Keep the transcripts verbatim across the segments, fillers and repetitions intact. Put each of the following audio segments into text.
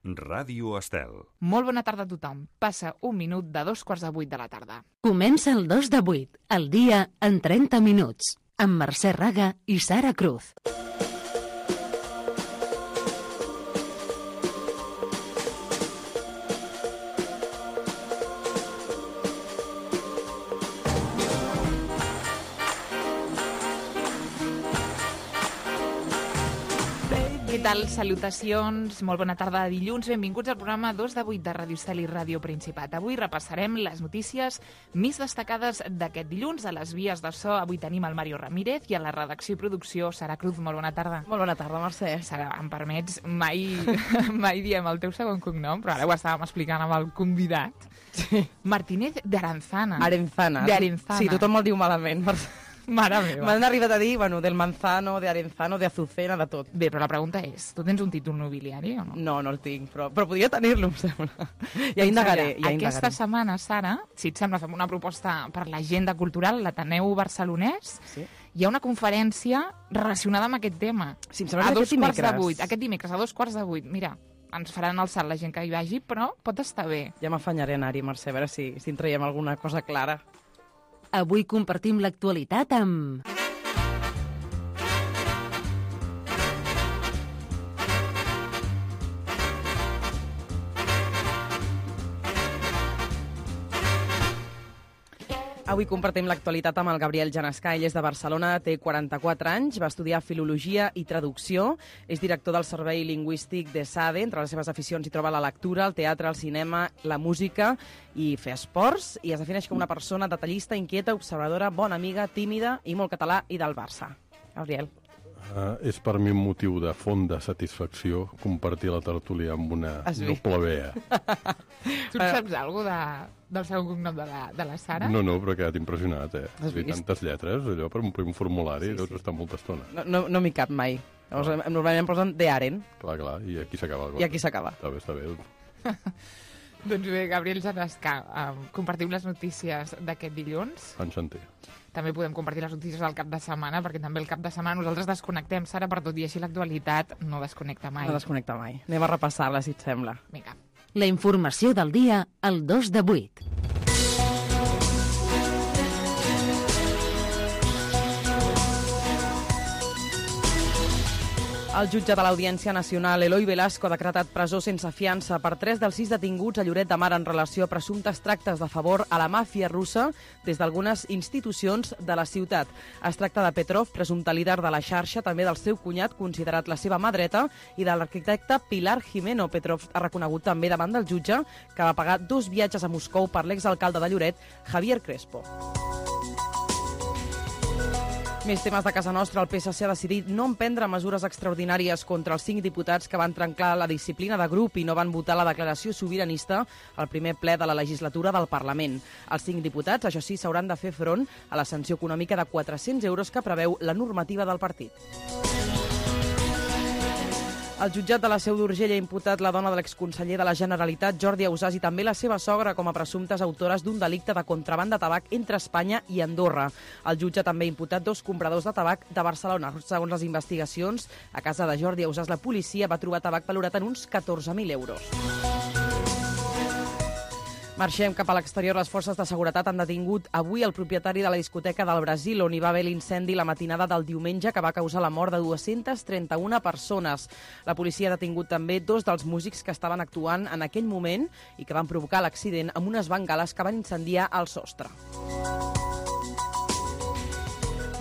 Ràdio Estel. Molt bona tarda a tothom. Passa un minut de dos quarts de vuit de la tarda. Comença el dos de vuit, el dia en trenta minuts, amb Mercè Raga i Sara Cruz. Què tal? Salutacions, molt bona tarda de dilluns. Benvinguts al programa dos de vuit de Ràdio Estel i Ràdio Principat. Avui repassarem les notícies més destacades d'aquest dilluns. A les vies de so avui tenim el Mario Ramírez i a la redacció i producció Sara Cruz. Molt bona tarda. Molt bona tarda, Mercè. Sara, em permets, mai, mai diem el teu segon cognom, però ara ho estàvem explicant amb el convidat. Sí. Martínez de Aranzana. Arenzana. De Arenzana. Sí, tothom el diu malament, Mercè. Mare meva. M'han arribat a dir, bueno, del manzano, de Arenzano, de Azucena, de tot. Bé, però la pregunta és, tu tens un títol nobiliari o no? No, no el tinc, però, però podria tenir-lo, em sembla. Ja indagaré, ja indagaré. Aquesta setmana, Sara, si et sembla, fem una proposta per l'agenda cultural, l'Ateneu Barcelonès. Sí. Hi ha una conferència relacionada amb aquest tema. Sí, em sembla a que dos aquest quarts de dimecres. vuit. Aquest dimecres, a dos quarts de vuit. Mira, ens faran el salt la gent que hi vagi, però pot estar bé. Ja m'afanyaré a anar-hi, Mercè, a veure si, si en traiem alguna cosa clara. Avui compartim l'actualitat amb... Avui compartim l'actualitat amb el Gabriel Janescà. Ell és de Barcelona, té quaranta-quatre anys, va estudiar Filologia i Traducció, és director del Servei Lingüístic de SADE. Entre les seves aficions hi troba la lectura, el teatre, el cinema, la música i fer esports, i es defineix com una persona detallista, inquieta, observadora, bona amiga, tímida i molt català i del Barça. Gabriel. Uh, és per mi un motiu de fonda satisfacció compartir la tertúlia amb una doble vea. Tu saps alguna de, del segon cognom de la, de la Sara? No, no, però he quedat impressionat, eh? Has I vist? tantes lletres, allò, per omplir un formulari, Sí, deus sí. estar molta estona. No, no, no m'hi cap mai. Llavors, Ah. normalment em posen de Aren, Clar, clar, i aquí s'acaba la cosa. i aquí s'acaba. Està bé, està bé. Doncs bé, Gabriel Janescà, um, compartim les notícies d'aquest dilluns. Enchanté. També podem compartir les notícies del cap de setmana, perquè també el cap de setmana nosaltres desconnectem, Sara, per tot i així l'actualitat no desconnecta mai. No desconnecta mai. Anem a repassar-la, si et sembla. Vinga. La informació del dia al dos de vuit. El jutge de l'Audiència Nacional, Eloi Velasco, ha decretat presó sense fiança per tres dels sis detinguts a Lloret de Mar en relació a presumptes tractes de favor a la màfia russa des d'algunes institucions de la ciutat. Es tracta de Petrov, presumpte líder de la xarxa, també del seu cunyat, considerat la seva mà dreta, i de l'arquitecte Pilar Jimeno. Petrov ha reconegut també davant del jutge que va pagar dos viatges a Moscou per l'exalcalde de Lloret, Javier Crespo. Més temes de casa nostra. El P S C ha decidit no emprendre mesures extraordinàries contra els cinc diputats que van trencar la disciplina de grup i no van votar la declaració sobiranista al primer ple de la legislatura del Parlament. Els cinc diputats, això sí, s'hauran de fer front a la sanció econòmica de quatre-cents euros que preveu la normativa del partit. El jutjat de la Seu d'Urgell ha imputat la dona de l'exconseller de la Generalitat, Jordi Ausàs, i també la seva sogra com a presumptes autores d'un delicte de contraban de tabac entre Espanya i Andorra. El jutge també ha imputat dos compradors de tabac de Barcelona. Segons les investigacions, a casa de Jordi Ausàs la policia va trobar tabac valorat en uns catorze mil euros. Marxem cap a l'exterior. Les forces de seguretat han detingut avui el propietari de la discoteca del Brasil, on hi va haver l'incendi la matinada del diumenge que va causar la mort de dues-centes trenta-una persones. La policia ha detingut també dos dels músics que estaven actuant en aquell moment i que van provocar l'accident amb unes bengales que van incendiar el sostre.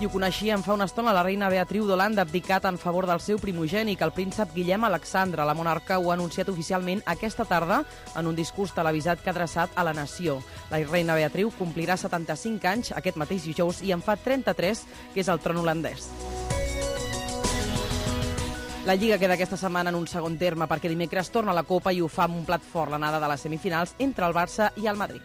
I ho coneixíem fa una estona, la reina Beatriu d'Holanda ha abdicat en favor del seu primogènic, el príncep Guillem Alexandre. La monarca ho ha anunciat oficialment aquesta tarda en un discurs televisat que ha adreçat a la nació. La reina Beatriu complirà setanta-cinc anys aquest mateix dijous i en fa trenta-tres, que és el tron holandès. La Lliga queda aquesta setmana en un segon terme perquè dimecres torna a la Copa i ho fa amb un plat fort, l'anada de les semifinals entre el Barça i el Madrid.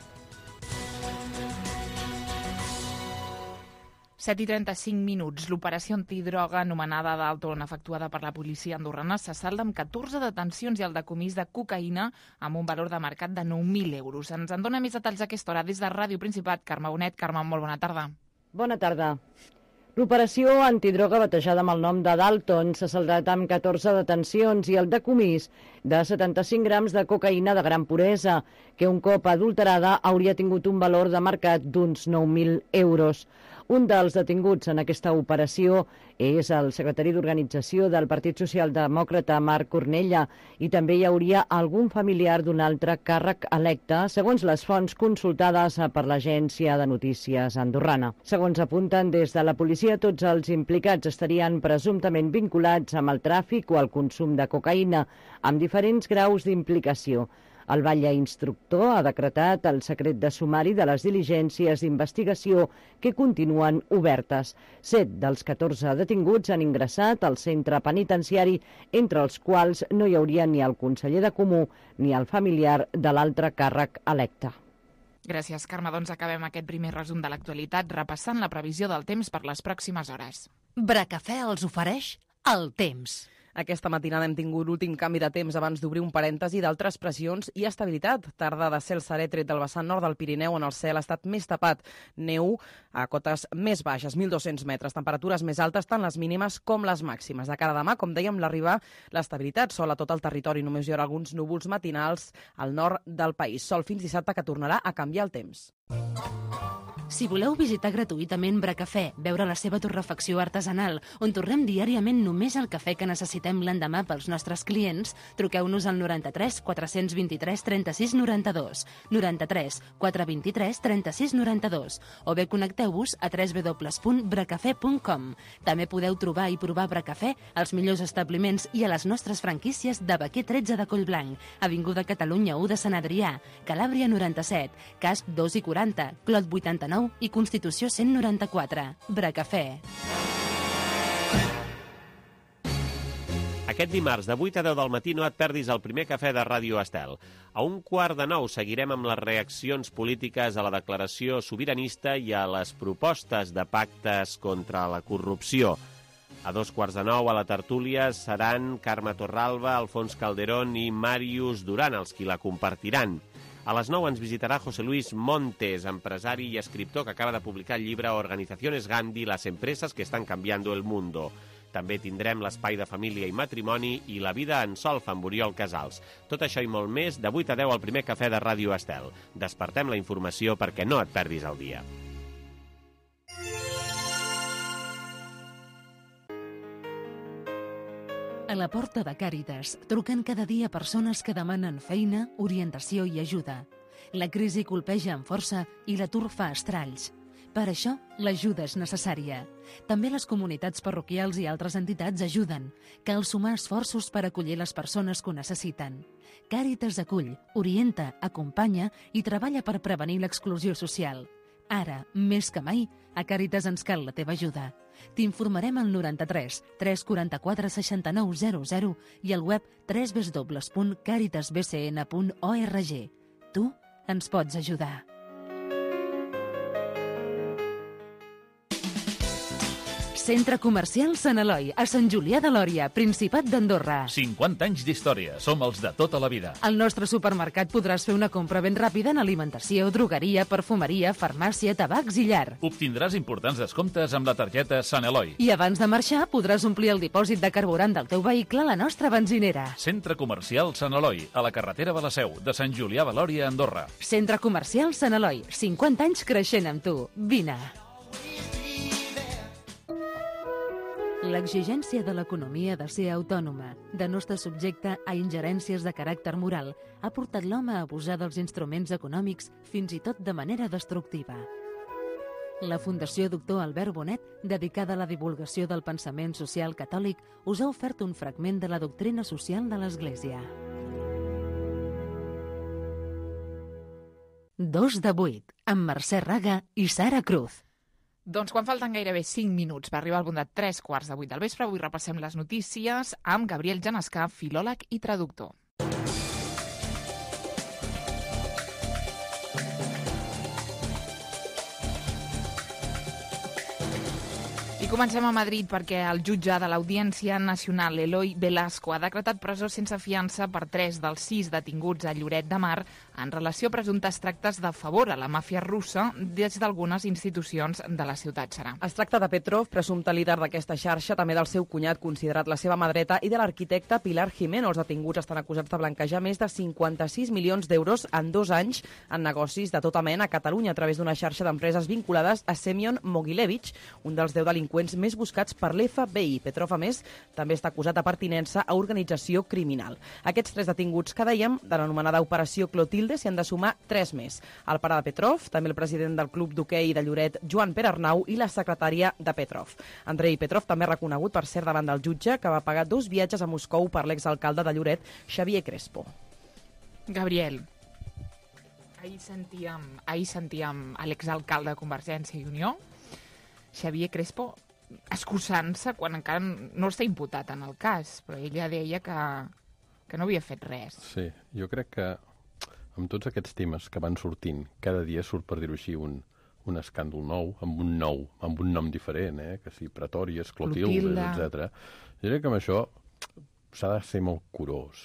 set i trenta-cinc minuts. L'operació antidroga anomenada d'Alton, efectuada per la policia andorrana, se salda amb catorze detencions i el decomís de cocaïna amb un valor de mercat de nou mil euros. Ens en dona més detalls a aquesta hora des de Ràdio Principat. Carme Bonet. Carme, molt bona tarda. Bona tarda. L'operació antidroga batejada amb el nom de Dalton s'ha saldat amb catorze detencions i el decomís de setanta-cinc grams de cocaïna de gran puresa, que un cop adulterada hauria tingut un valor de mercat d'uns nou mil euros. Un dels detinguts en aquesta operació és el secretari d'Organització del Partit Socialdemòcrata, Marc Cornella, i també hi hauria algun familiar d'un altre càrrec electe, segons les fonts consultades per l'agència de notícies andorrana. Segons apunten des de la policia, tots els implicats estarien presumptament vinculats amb el tràfic o el consum de cocaïna, amb diferents graus d'implicació. El batlle instructor ha decretat el secret de sumari de les diligències d'investigació que continuen obertes. Set dels catorze detinguts han ingressat al centre penitenciari, entre els quals no hi hauria ni el conseller de Comú ni el familiar de l'altre càrrec electe. Gràcies, Carme. Doncs acabem aquest primer resum de l'actualitat repassant la previsió del temps per les pròximes hores. Bracafè els ofereix el temps. Aquesta matinada hem tingut l'últim canvi de temps abans d'obrir un parèntesi d'altres pressions i estabilitat. Tarda de cel serè tret del vessant nord del Pirineu, on el cel ha estat més tapat. Neu a cotes més baixes, mil dos-cents metres. Temperatures més altes, tant les mínimes com les màximes. De cara a demà, com dèiem, l'arribar l'estabilitat. Sol a tot el territori, només hi haurà alguns núvols matinals al nord del país. Sol fins dissabte, que tornarà a canviar el temps. Si voleu visitar gratuïtament Bracafè, veure la seva torrefacció artesanal, on torrem diàriament només el cafè que necessitem l'endemà pels nostres clients, truqueu-nos al noranta-tres quatre vint-i-tres trenta-sis noranta-dos, noranta-tres quatre vint-i-tres trenta-sis noranta-dos, o bé connecteu-vos a w w w punt bracafè punt com. També podeu trobar i provar Bracafè als millors establiments i a les nostres franquícies de Baquer tretze de Collblanc, Avinguda Catalunya u de Sant Adrià, Calàbria noranta-set, Casp dos i quaranta, Clot vuitanta-nou i Constitució cent noranta-quatre. Bracafè. Aquest dimarts, de vuit a deu del matí, no et perdis el primer cafè de Ràdio Estel. A un quart de nou seguirem amb les reaccions polítiques a la declaració sobiranista i a les propostes de pactes contra la corrupció. A dos quarts de nou, a la tertúlia, seran Carme Torralba, Alfons Calderón i Màrius Duran els qui la compartiran. A les nou ens visitarà José Luis Montes, empresari i escriptor que acaba de publicar el llibre Organizaciones Gandhi, las empresas que están cambiando el mundo. També tindrem l'espai de família i matrimoni i la vida en solfa amb Oriol Casals. Tot això i molt més, de vuit a deu al primer cafè de Ràdio Estel. Despertem la informació perquè no et perdis el dia. A la porta de Càritas truquen cada dia persones que demanen feina, orientació i ajuda. La crisi colpeja amb força i l'atur fa estralls. Per això, l'ajuda és necessària. També les comunitats parroquials i altres entitats ajuden. Cal sumar esforços per acollir les persones que ho necessiten. Càritas acull, orienta, acompanya i treballa per prevenir l'exclusió social. Ara, més que mai, a Càritas ens cal la teva ajuda. T'informarem al noranta-tres tres quaranta-quatre seixanta-nou zero zero i al web w w w punt càritas b c n punt org. Tu ens pots ajudar. Centre Comercial Sant Eloi, a Sant Julià de Lòria, Principat d'Andorra. cinquanta anys d'història. Som els de tota la vida. Al nostre supermercat podràs fer una compra ben ràpida en alimentació, drogueria, perfumeria, farmàcia, tabacs i llar. Obtindràs importants descomptes amb la targeta Sant Eloi. I abans de marxar podràs omplir el dipòsit de carburant del teu vehicle a la nostra benzinera. Centre Comercial Sant Eloi, a la carretera de la Seu, de Sant Julià de Lòria, Andorra. Centre Comercial Sant Eloi, cinquanta anys creixent amb tu. Vine. L'exigència de l'economia de ser autònoma, de no estar subjecte a ingerències de caràcter moral, ha portat l'home a abusar dels instruments econòmics fins i tot de manera destructiva. La Fundació Doctor Albert Bonet, dedicada a la divulgació del pensament social catòlic, us ha ofert un fragment de la doctrina social de l'Església. Dos de vuit, amb Mercè Raga i Sara Cruz. Doncs quan falten gairebé cinc minuts per arribar al punt de tres quarts de vuit del vespre, avui repassem les notícies amb Gabriel Genescà, filòleg i traductor. I comencem a Madrid perquè el jutge de l'Audiència Nacional, Eloi Velasco, ha decretat presó sense fiança per tres dels sis detinguts a Lloret de Mar en relació a presumptes tractes de favor a la màfia russa des d'algunes institucions de la ciutat, Serà. Es tracta de Petrov, presumpte líder d'aquesta xarxa, també del seu cunyat, considerat la seva mà dreta, i de l'arquitecte Pilar Jimeno. Els detinguts estan acusats de blanquejar més de cinquanta-sis milions d'euros en dos anys en negocis de tota mena a Catalunya a través d'una xarxa d'empreses vinculades a Semyon Mogilevich, un dels deu delinqüents més buscats per l'F B I. Petrov, a més, també està acusat de pertinença a organització criminal. Aquests tres detinguts que dèiem, de l'anomenada Operació Clotilde, s'hi han de sumar tres més. El pare de Petrov, també el president del club d'hoquei de Lloret, Joan Pere Arnau, i la secretària de Petrov. Andrei Petrov també ha reconegut, per cert, davant del jutge, que va pagar dos viatges a Moscou per l'exalcalde de Lloret, Xavier Crespo. Gabriel, ahir sentíem, ahir sentíem a l'exalcalde de Convergència i Unió, Xavier Crespo, excusant-se quan encara no està imputat en el cas, però ella deia que, que no havia fet res. Sí, jo crec que amb tots aquests temes que van sortint, cada dia surt, per dir-ho així, un, un escàndol nou, amb un nou, amb un nom diferent, eh? Que si Pretòries, Clotilde, etcètera. Jo crec que amb això s'ha de ser molt curós.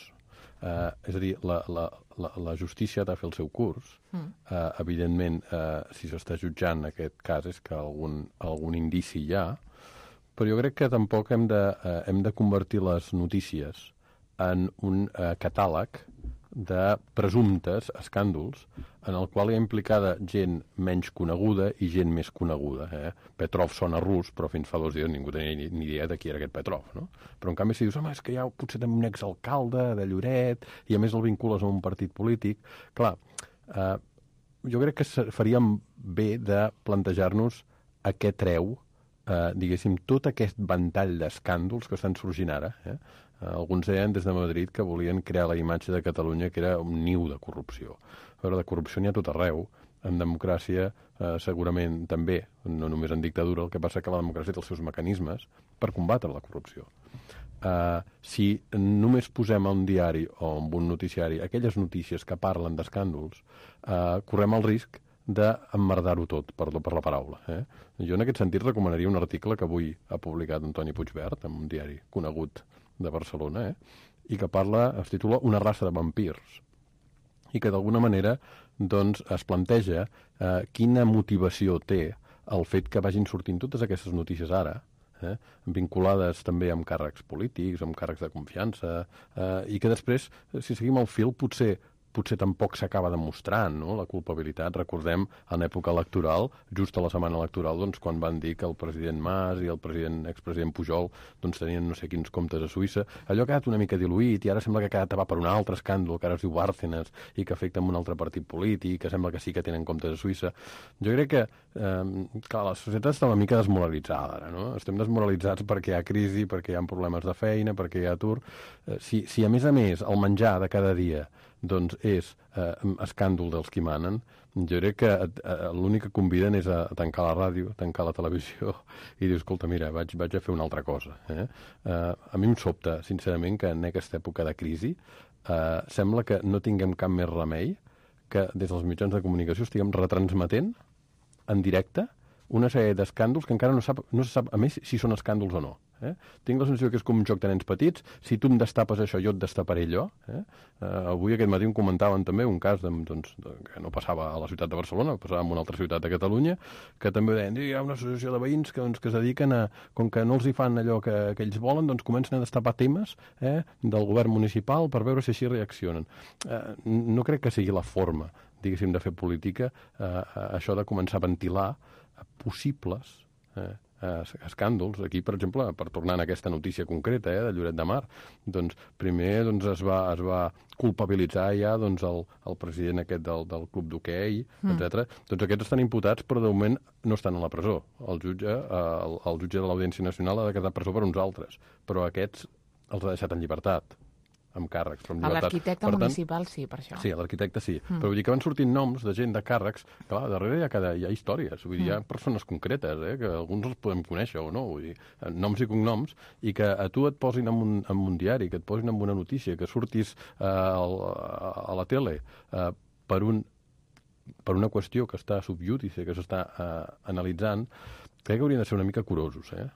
Uh, és a dir, la, la, la, la justícia ha de fer el seu curs. Mm. Uh, evidentment, uh, si s'està jutjant aquest cas és que algun, algun indici hi ha, però jo crec que tampoc hem de, uh, hem de convertir les notícies en un uh, catàleg de presumptes escàndols en el qual hi ha implicada gent menys coneguda i gent més coneguda. Eh? Petrov sona rus, però fins fa dos dies ningú tenia ni, ni idea de qui era aquest Petrov. No? Però en canvi si dius, home, és que hi ha potser un exalcalde de Lloret i a més el vincules a un partit polític, clar, eh, jo crec que faríem bé de plantejar-nos a què treu, eh, diguéssim, tot aquest ventall d'escàndols que estan sorgint ara. Eh? Alguns deien des de Madrid que volien crear la imatge de Catalunya que era un niu de corrupció. Però de corrupció n'hi ha tot arreu. En democràcia eh, segurament també, no només en dictadura, el que passa que la democràcia té els seus mecanismes per combatre la corrupció. Uh, si només posem a un diari o en un noticiari aquelles notícies que parlen d'escàndols, uh, correm el risc d'emmerdar-ho tot, perdó per la paraula. Eh? Jo en aquest sentit recomanaria un article que avui ha publicat Antoni Puigvert, en un diari conegut de Barcelona, eh? I que parla, es titula Una raça de vampirs, i que d'alguna manera doncs, es planteja eh, quina motivació té el fet que vagin sortint totes aquestes notícies ara, eh, vinculades també amb càrrecs polítics, amb càrrecs de confiança, eh, i que després, si seguim el fil, potser potser tampoc s'acaba demostrant, no?, la culpabilitat. Recordem, en època electoral, just a la setmana electoral, doncs, quan van dir que el president Mas i el president, expresident Pujol doncs, tenien no sé quins comptes a Suïssa, allò ha quedat una mica diluït i ara sembla que ha quedat tapat per un altre escàndol que ara es diu Bárcenas i que afecta un altre partit polític, que sembla que sí que tenen comptes a Suïssa. Jo crec que eh, clar, la societat està una mica desmoralitzada ara, no? Estem desmoralitzats perquè hi ha crisi, perquè hi ha problemes de feina, perquè hi ha atur. Eh, si, si a més a més el menjar de cada dia doncs és eh, escàndol dels qui manen, jo crec que eh, l'únic que conviden és a, a tancar la ràdio, a tancar la televisió i dir, escolta, mira, vaig, vaig a fer una altra cosa. Eh? Eh, a mi em sobta, sincerament, que en aquesta època de crisi eh, sembla que no tinguem cap més remei que des dels mitjans de comunicació estiguem retransmetent en directe una sèrie d'escàndols que encara no, sap, no se sap, a més, si són escàndols o no. Eh? Tinc la sensació que és com un joc de nens petits. Si tu em destapes això, jo et destaparé allò. Eh? Uh, avui aquest matí em comentaven també un cas de, doncs, de, que no passava a la ciutat de Barcelona, passava en una altra ciutat de Catalunya, que també deien, hi ha una associació de veïns que, doncs, que es dediquen a, com que no els hi fan allò que, que ells volen, doncs comencen a destapar temes eh, del govern municipal per veure si així reaccionen. Uh, no crec que sigui la forma, diguéssim, de fer política, uh, això de començar a ventilar possibles eh, escàndols. Aquí, per exemple, per tornar a aquesta notícia concreta eh, de Lloret de Mar, doncs, primer doncs, es, va, es va culpabilitzar ja doncs, el, el president aquest del, del club d'hoquei, mm. etcètera. Doncs aquests estan imputats, però de moment no estan a la presó. El jutge, eh, el, el jutge de l'Audiència Nacional ha de quedar a presó per uns altres, però aquests els ha deixat en llibertat, amb càrrecs, però amb llibertat. L'arquitecte municipal sí, per això. Sí, l'arquitecte sí. Mm. Però vull dir que van sortint noms de gent de càrrecs, clar, darrere hi ha, cada, hi ha històries, vull dir, mm. hi ha persones concretes, eh, que alguns els podem conèixer o no, vull dir, noms i cognoms, i que a tu et posin en un, en un diari, que et posin en una notícia, que surtis eh, a, a la tele eh, per, un, per una qüestió que està subjudice, que s'està eh, analitzant, crec que haurien de ser una mica curosos, eh?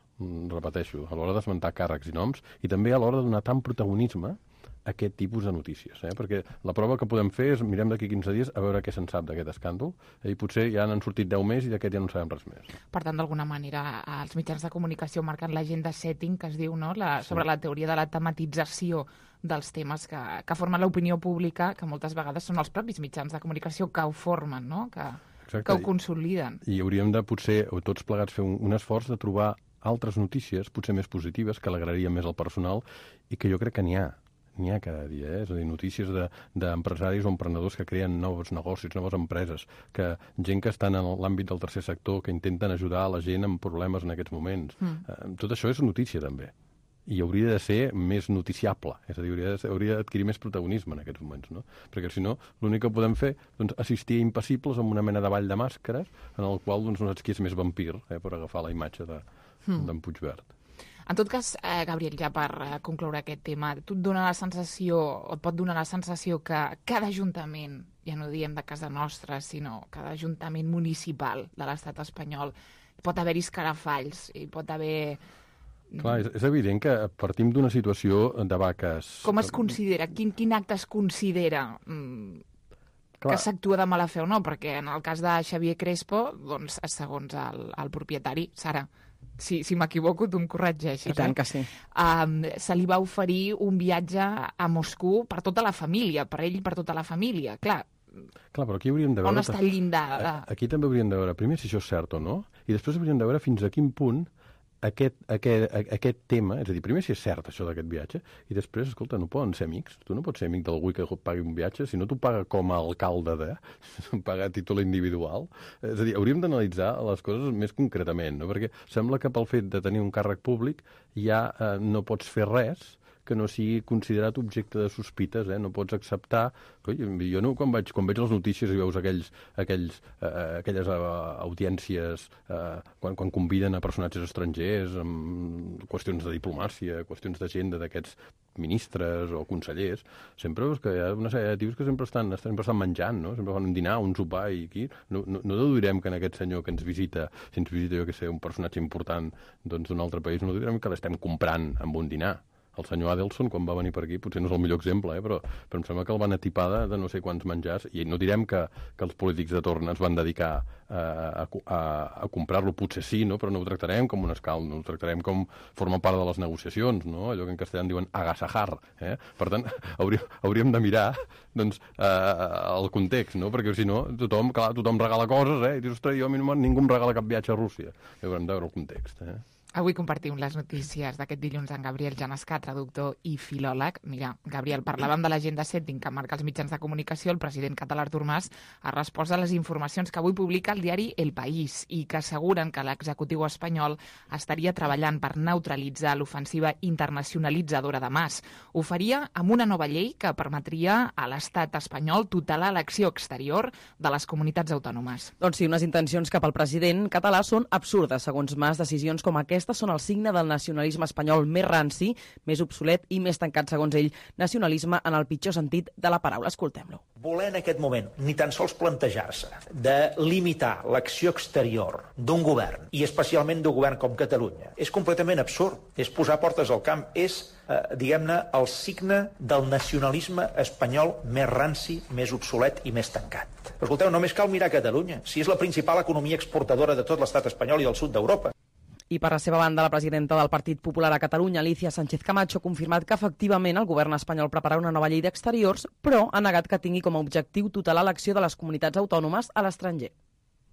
Repeteixo, a l'hora d'esmentar càrrecs i noms, i també a l'hora de donar tant protagonisme a aquest tipus de notícies, eh? Perquè la prova que podem fer és mirem d'aquí quinze dies a veure què se'n sap d'aquest escàndol, i potser ja n'han sortit deu més i d'aquest ja no en sabem res més. Per tant, d'alguna manera, els mitjans de comunicació marquen l'agenda setting, que es diu, no?, la, sobre sí. la teoria de la tematització dels temes que, que formen l'opinió pública, que moltes vegades són els propis mitjans de comunicació que ho formen, no?, que, que ho consoliden. I hauríem de, potser, tots plegats, fer un, un esforç de trobar altres notícies, potser més positives, que alegrarien més el personal, i que jo crec que n'hi ha. N'hi ha cada dia, eh? És a dir, notícies d'empresaris de, o emprenedors que creen nous negocis, noves empreses, que gent que estan en l'àmbit del tercer sector, que intenten ajudar la gent amb problemes en aquests moments. Mm. Eh, tot això és notícia, també. I hauria de ser més noticiable, és a dir, hauria, de ser, hauria d'adquirir més protagonisme en aquests moments, no? Perquè, si no, l'únic que podem fer, doncs, assistir a impassibles amb una mena de ball de màscares, en el qual, doncs, no saps qui és més vampir, eh, per agafar la imatge de, mm. d'en Puigverd. En tot cas, eh, Gabriel, ja per eh, concloure aquest tema, tu et dona la sensació, o et pot donar la sensació que cada ajuntament, ja no diem de casa nostra, sinó cada ajuntament municipal de l'estat espanyol, pot haver-hi escarafalls, i pot haver... Clar, és, és evident que partim d'una situació de vaques... Com es considera? Quin, quin acte es considera mm, que s'actua de mala fe o no? Perquè en el cas de Xavier Crespo, doncs, segons el, el propietari, Sara, si, si m'equivoco, tu em corregeixes. I tant eh? que sí. Um, se li va oferir un viatge a Moscou per tota la família, per ell i per tota la família. Clar, Clar, però aquí hauríem de veure... On està el llindar? De... Aquí també hauríem de veure, primer, si això és cert o no, i després hauríem de veure fins a quin punt aquest, aquest, aquest tema, és a dir, primer si és cert això d'aquest viatge, i després, escolta, no poden ser amics. Tu no pots ser amic d'algú que pagui un viatge, si no t'ho paga com a alcalde de, paga a títol individual. És a dir, hauríem d'analitzar les coses més concretament, no? Perquè sembla que pel fet de tenir un càrrec públic ja eh, no pots fer res que no sigui considerat objecte de sospites, eh? No pots acceptar... Coi, jo no, quan veig, quan veig les notícies i veus aquells, aquells, eh, aquelles uh, audiències, eh, quan, quan conviden a personatges estrangers, amb qüestions de diplomàcia, qüestions d'agenda d'aquests ministres o consellers, sempre veus que hi ha una sèrie de tios que sempre estan, sempre estan menjant, no? Sempre fan un dinar, un sopar, i aquí no, no, no deduirem que en aquest senyor que ens visita, si ens visita, jo que sé, un personatge important doncs, d'un altre país, no deduirem que l'estem comprant amb un dinar. El senyor Adelson, quan va venir per aquí, potser no és el millor exemple, eh? però, però em sembla que el van atipar de, de no sé quants menjars, i no direm que, que els polítics de torn es van dedicar a, a, a, a comprar-lo, potser sí, no? Però no ho tractarem com un escalt, no ho tractarem com forma part de les negociacions, no? Allò que en castellà en diuen agasajar. Eh? Per tant, hauríem, hauríem de mirar doncs, eh, el context, no? Perquè si no, tothom, clar, tothom regala coses, eh? I dius, ostres, jo a mi no, ningú em regala cap viatge a Rússia. I haurem de veure el context, eh? Avui compartim les notícies d'aquest dilluns amb Gabriel Janescà, traductor i filòleg. Mira, Gabriel, parlàvem de l'agenda setting que marca els mitjans de comunicació. El president català Artur Mas ha respost a les informacions que avui publica el diari El País i que asseguren que l'executiu espanyol estaria treballant per neutralitzar l'ofensiva internacionalitzadora de Mas. Ho faria amb una nova llei que permetria a l'estat espanyol tutelar l'acció exterior de les comunitats autònomes. Doncs sí, unes intencions cap al president català són absurdes. Segons Mas, decisions com aquesta són el signe del nacionalisme espanyol més ranci, més obsolet i més tancat, segons ell, nacionalisme en el pitjor sentit de la paraula. Escoltem-lo. Voler en aquest moment ni tan sols plantejar-se de limitar l'acció exterior d'un govern, i especialment d'un govern com Catalunya, és completament absurd. És posar portes al camp, és, eh, diguem-ne, el signe del nacionalisme espanyol més ranci, més obsolet i més tancat. Però escolteu, només cal mirar Catalunya, si és la principal economia exportadora de tot l'estat espanyol i del sud d'Europa. I per la seva banda, la presidenta del Partit Popular a Catalunya, Alicia Sánchez Camacho, ha confirmat que efectivament el govern espanyol prepararà una nova llei d'exteriors, però ha negat que tingui com a objectiu tutelar l'acció de les comunitats autònomes a l'estranger.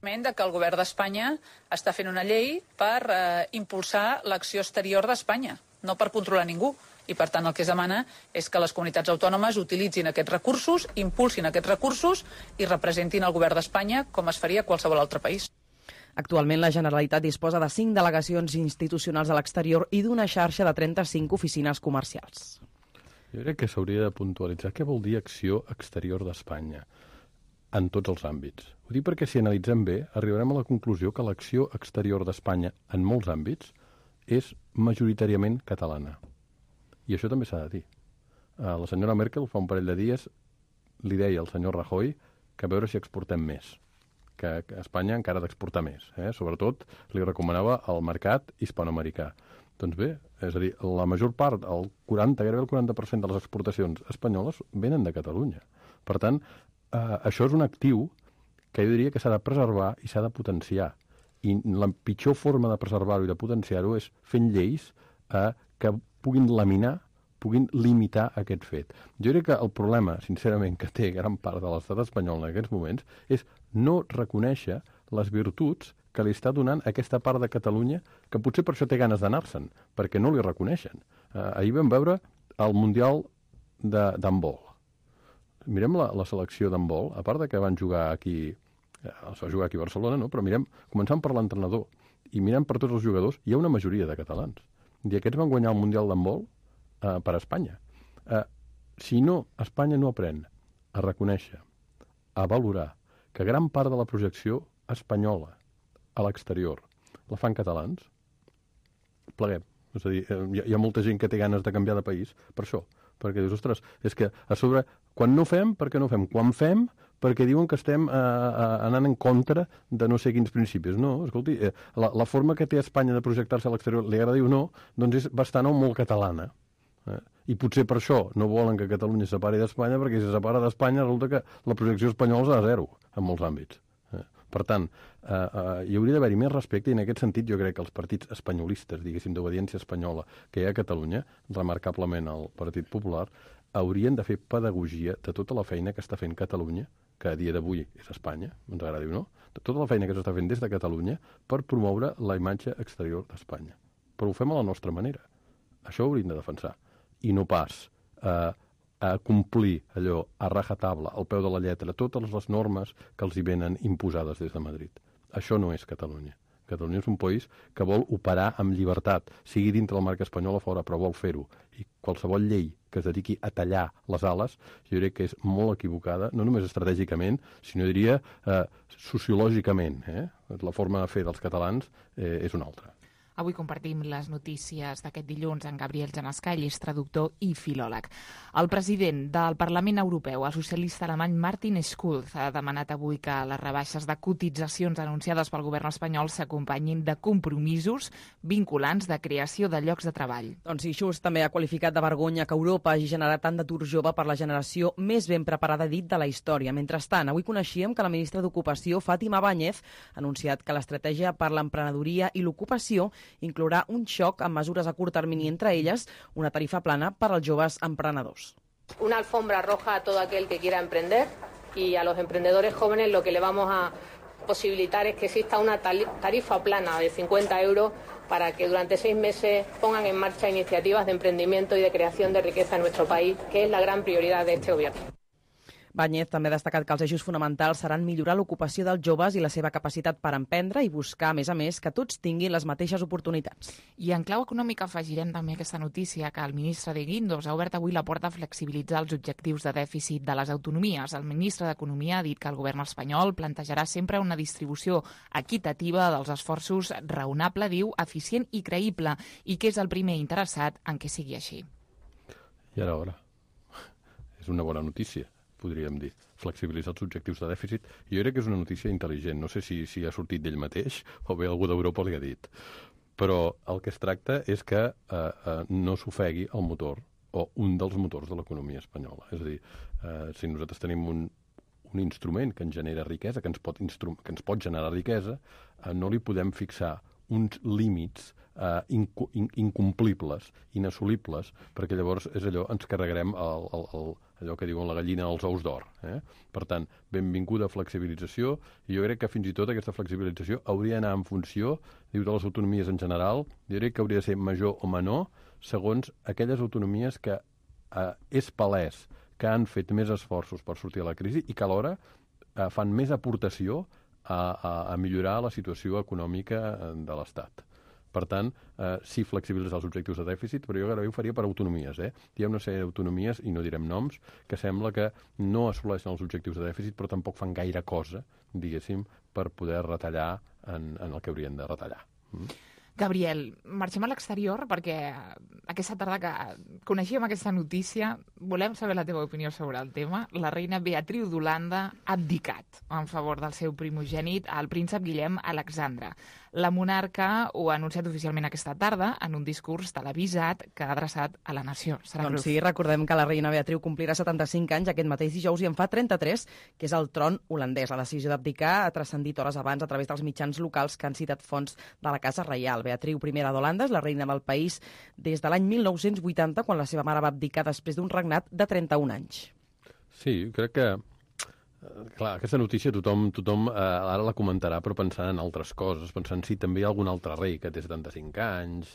De que el govern d'Espanya està fent una llei per eh, impulsar l'acció exterior d'Espanya, no per controlar ningú. I, per tant, el que es demana és que les comunitats autònomes utilitzin aquests recursos, impulsin aquests recursos i representin el govern d'Espanya com es faria a qualsevol altre país. Actualment, la Generalitat disposa de cinc delegacions institucionals a l'exterior i d'una xarxa de trenta-cinc oficines comercials. Jo crec que s'hauria de puntualitzar què vol dir acció exterior d'Espanya en tots els àmbits. Ho dic perquè si analitzem bé, arribarem a la conclusió que l'acció exterior d'Espanya en molts àmbits és majoritàriament catalana. I això també s'ha de dir. La senyora Merkel fa un parell de dies li deia al senyor Rajoy que a veure si exportem més, que, que Espanya encara ha d'exportar més. Eh? Sobretot li recomanava el mercat hispanoamericà. Doncs bé, és a dir, la major part, el quaranta, gairebé el quaranta per cent de les exportacions espanyoles venen de Catalunya. Per tant, eh, això és un actiu que jo diria que s'ha de preservar i s'ha de potenciar. I la pitjor forma de preservar-ho i de potenciar-ho és fent lleis eh, que puguin laminar, puguin limitar aquest fet. Jo crec que el problema, sincerament, que té gran part de l'estat espanyol en aquests moments és no reconèixer les virtuts que li està donant aquesta part de Catalunya, que potser per això té ganes d'anar-se'n, perquè no li reconeixen. Eh, ahir vam veure el Mundial d'handbol. Mirem la, la selecció d'handbol, a part de que van jugar aquí, eh, es va jugar aquí a Barcelona, no? Però mirem, començant per l'entrenador, i mirem per tots els jugadors, hi ha una majoria de catalans. I aquests van guanyar el Mundial d'handbol eh, per Espanya. Eh, si no, Espanya no aprèn a reconèixer, a valorar, que gran part de la projecció espanyola a l'exterior la fan catalans, pleguem. És a dir, hi ha, hi ha molta gent que té ganes de canviar de país per això. Perquè dius, ostres, és que a sobre, quan no fem, per què no fem? Quan fem, perquè diuen que estem eh, eh, anant en contra de no sé quins principis. No, escolti, eh, la, la forma que té Espanya de projectar-se a l'exterior, li agrada dir o no, doncs és bastant o molt catalana. Eh? I potser per això no volen que Catalunya es separi d'Espanya, perquè si se separa d'Espanya resulta que la projecció espanyola és a zero en molts àmbits. Eh? Per tant, eh, eh, hi hauria d'haver-hi més respecte i en aquest sentit jo crec que els partits espanyolistes, diguéssim, d'obediència espanyola que hi ha a Catalunya, remarcablement el Partit Popular, haurien de fer pedagogia de tota la feina que està fent Catalunya, que a dia d'avui és Espanya, ens agradi o no, de tota la feina que s'està fent des de Catalunya per promoure la imatge exterior d'Espanya. Però ho fem a la nostra manera. Això ho hauríem de defensar. I no pas eh, a complir allò a rajatabla, al peu de la lletra, totes les normes que els hi venen imposades des de Madrid. Això no és Catalunya. Catalunya és un país que vol operar amb llibertat, sigui dintre del marc espanyol o fora, però vol fer-ho. I qualsevol llei que es dediqui a tallar les ales, jo crec que és molt equivocada, no només estratègicament, sinó diria eh, sociològicament. Eh? La forma de fer dels catalans eh, és una altra. Avui compartim les notícies d'aquest dilluns amb Gabriel Janescall, és traductor i filòleg. El president del Parlament Europeu, el socialista alemany Martin Schulz, ha demanat avui que les rebaixes de cotitzacions anunciades pel govern espanyol s'acompanyin de compromisos vinculants de creació de llocs de treball. Doncs sí, Schulz també ha qualificat de vergonya que Europa hagi generat tant d'atur jove per la generació més ben preparada, dit, de la història. Mentrestant, avui coneixíem que la ministra d'Ocupació, Fátima Báñez, ha anunciat que l'estratègia per l'emprenedoria i l'ocupació inclourà un xoc amb mesures a curt termini, entre elles una tarifa plana per als joves emprenedors. Una alfombra roja a todo aquel que quiera emprender y a los emprendedores jóvenes lo que le vamos a posibilitar es que exista una tarifa plana de cincuenta euros para que durante seis meses pongan en marcha iniciativas de emprendimiento y de creación de riqueza en nuestro país, que es la gran prioridad de este gobierno. Báñez també ha destacat que els eixos fonamentals seran millorar l'ocupació dels joves i la seva capacitat per emprendre i buscar, a més a més, que tots tinguin les mateixes oportunitats. I en clau econòmica afegirem també aquesta notícia que el ministre de Guindos ha obert avui la porta a flexibilitzar els objectius de dèficit de les autonomies. El ministre d'Economia ha dit que el govern espanyol plantejarà sempre una distribució equitativa dels esforços raonable, diu, eficient i creïble, i que és el primer interessat en que sigui així. I ara, ara, és una bona notícia, podríem dir, flexibilitzar els objectius de dèficit. Jo crec que és una notícia intel·ligent. No sé si, si ha sortit d'ell mateix o bé algú d'Europa li ha dit. Però el que es tracta és que eh, eh, no s'ofegui el motor o un dels motors de l'economia espanyola. És a dir, eh, si nosaltres tenim un, un instrument que ens genera riquesa, que ens pot, instru que ens pot generar riquesa, eh, no li podem fixar uns límits Uh, inc in incomplibles, inassolibles, perquè llavors és allò, ens carregarem el, el, el, allò que diuen la gallina als ous d'or. Eh? Per tant, benvinguda flexibilització, i jo crec que fins i tot aquesta flexibilització hauria d'anar en funció, diu, de les autonomies en general, jo crec que hauria de ser major o menor, segons aquelles autonomies que uh, és palès que han fet més esforços per sortir de la crisi i que alhora uh, fan més aportació a, a, a millorar la situació econòmica de l'Estat. Per tant, eh, sí flexibilitzar els objectius de dèficit, però jo gairebé ho faria per autonomies. Eh? Hi ha una sèrie d'autonomies, i no direm noms, que sembla que no assoleixen els objectius de dèficit, però tampoc fan gaire cosa, diguéssim, per poder retallar en, en el que haurien de retallar. Mm? Gabriel, marxem a l'exterior perquè aquesta tarda que coneixíem aquesta notícia, volem saber la teva opinió sobre el tema. La reina Beatriu d'Holanda ha abdicat en favor del seu primogènit, el príncep Guillem Alexandre. La monarca ho ha anunciat oficialment aquesta tarda en un discurs televisat que ha adreçat a la nació. Sara Doncs Cruz. sí, recordem que la reina Beatriu complirà setanta-cinc anys aquest mateix dijous i en fa trenta-tres, que és el tron holandès. La decisió d'abdicar ha transcendit hores abans a través dels mitjans locals que han citat fonts de la Casa Reial. Beatriu I d'Holanda és la reina del país des de l'any mil nou-cents vuitanta, quan la seva mare va abdicar després d'un regnat de trenta-un anys. Sí, crec que clar, aquesta notícia tothom, tothom eh, ara la comentarà, però pensant en altres coses, pensant si també hi ha algun altre rei que té setanta-cinc anys,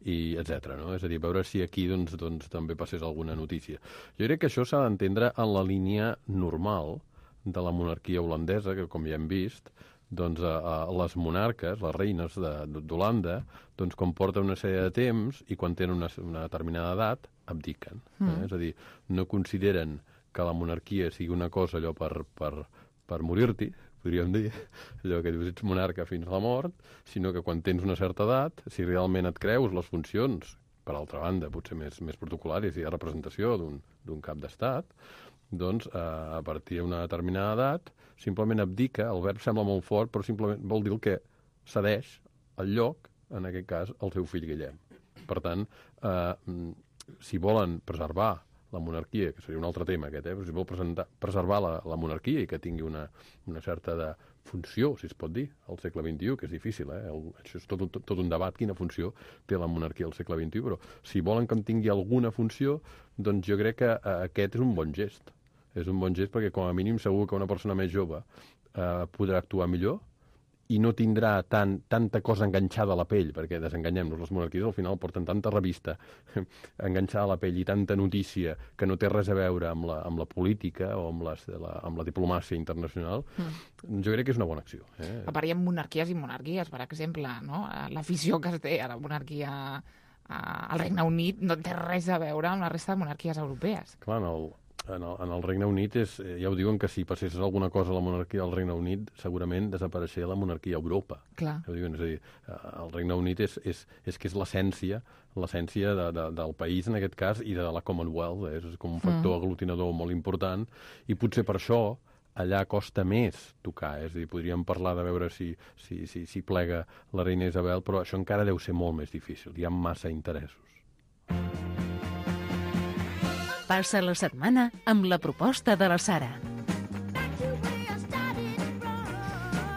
i etcètera. No? És a dir, veure si aquí doncs, doncs, també passés alguna notícia. Jo crec que això s'ha d'entendre en la línia normal de la monarquia holandesa, que com ja hem vist, doncs, a, a les monarques, les reines d'Holanda, doncs, quan porten una sèrie de temps i quan tenen una, una determinada edat, abdiquen. Mm. Eh? És a dir, no consideren que la monarquia sigui una cosa allò per, per, per morir-t'hi, podríem dir, allò que dius, ets monarca fins a la mort, sinó que quan tens una certa edat, si realment et creus les funcions, per altra banda, potser més, més protocolàries, hi ha representació d'un cap d'estat, doncs eh, a partir d'una determinada edat, simplement abdica, el verb sembla molt fort, però simplement vol dir que cedeix el lloc, en aquest cas, al seu fill Guillem. Per tant, eh, si volen preservar la monarquia, que seria un altre tema aquest, eh? Però si vol presentar, preservar la, la monarquia i que tingui una, una certa de funció, si es pot dir, al segle vint-i-u, que és difícil, eh? El, això és tot, tot, tot un debat, quina funció té la monarquia al segle vint-i-u, però si volen que en tingui alguna funció, doncs jo crec que eh, aquest és un bon gest. És un bon gest perquè com a mínim segur que una persona més jove eh, podrà actuar millor i no tindrà tan, tanta cosa enganxada a la pell, perquè desenganyem-nos, les monarquies al final porten tanta revista enganxada a la pell i tanta notícia que no té res a veure amb la, amb la política o amb, les, la, amb la diplomàcia internacional. Mm. Jo crec que és una bona acció. Eh? A part, hi ha monarquies i monarquies, per exemple, no? L'afició que es té a la monarquia al Regne Unit no té res a veure amb la resta de monarquies europees. Clar, en el, en el, en el Regne Unit és, ja ho diuen que si passés alguna cosa a la monarquia del Regne Unit segurament desapareixeria la monarquia a Europa. Clar. Ja ho diuen, és a dir, el Regne Unit és, és, és que és l'essència l'essència de, de, del país en aquest cas i de la Commonwealth, eh? És com un factor mm. aglutinador molt important i potser per això allà costa més tocar, eh? És a dir, podríem parlar de veure si, si, si, si plega la reina Isabel, però això encara deu ser molt més difícil, hi ha massa interessos. Passa la setmana amb la proposta de la Sara.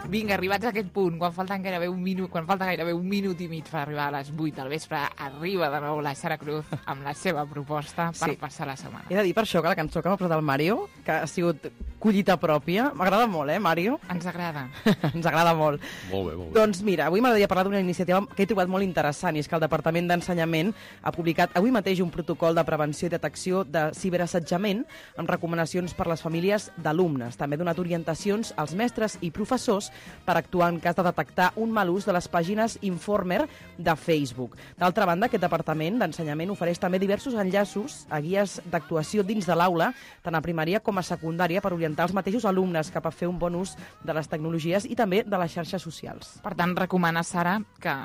Vinga, arribats a aquest punt, quan falten gairebé un minut, quan falta gairebé un minut i mig per arribar a les vuit del vespre, arriba de nou la Sara Cruz amb la seva proposta per sí. passar la setmana. He de dir per això que la cançó que m'ha posat el Mario, que ha sigut collita pròpia, m'agrada molt, eh, Mario? Ens agrada. Ens agrada molt. Molt bé, molt bé. Doncs mira, avui m'agradaria parlar d'una iniciativa que he trobat molt interessant, i és que el Departament d'Ensenyament ha publicat avui mateix un protocol de prevenció i detecció de ciberassetjament amb recomanacions per les famílies d'alumnes. També ha donat orientacions als mestres i professors per actuar en cas de detectar un mal ús de les pàgines Informer de Facebook. D'altra banda, aquest Departament d'Ensenyament ofereix també diversos enllaços a guies d'actuació dins de l'aula, tant a primària com a secundària, per orientar els mateixos alumnes cap a fer un bon ús de les tecnologies i també de les xarxes socials. Per tant, recomana, Sara, que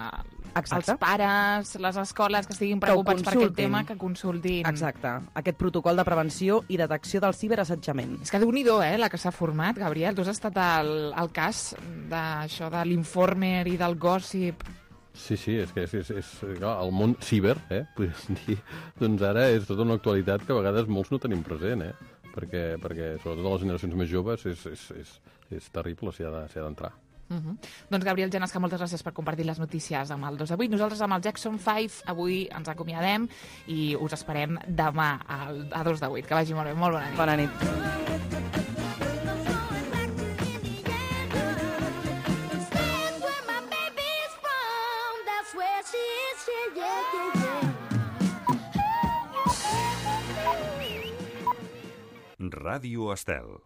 Exacte. els pares, les escoles que estiguin preocupats per aquest tema, que consultin. Exacte. Aquest protocol de prevenció i detecció del ciberassetjament. És que déu-n'hi-do, eh, la que s'ha format, Gabriel. Tu has estat al, al cas d'això de l'Informer i del gossip. Sí, sí, és que és, és, és, clar, el món ciber, eh, podríem dir, doncs ara és tota una actualitat que a vegades molts no tenim present, eh, perquè, perquè sobretot a les generacions més joves és, és, és, és terrible si ha d'entrar. Uh -huh. Doncs Gabriel Genesca, moltes gràcies per compartir les notícies amb el dos de vuit. Nosaltres amb el Jackson cinc avui ens acomiadem i us esperem demà al, a dos de vuit. Que vagi molt bé, molt bona nit. Bona nit. Ràdio Estel.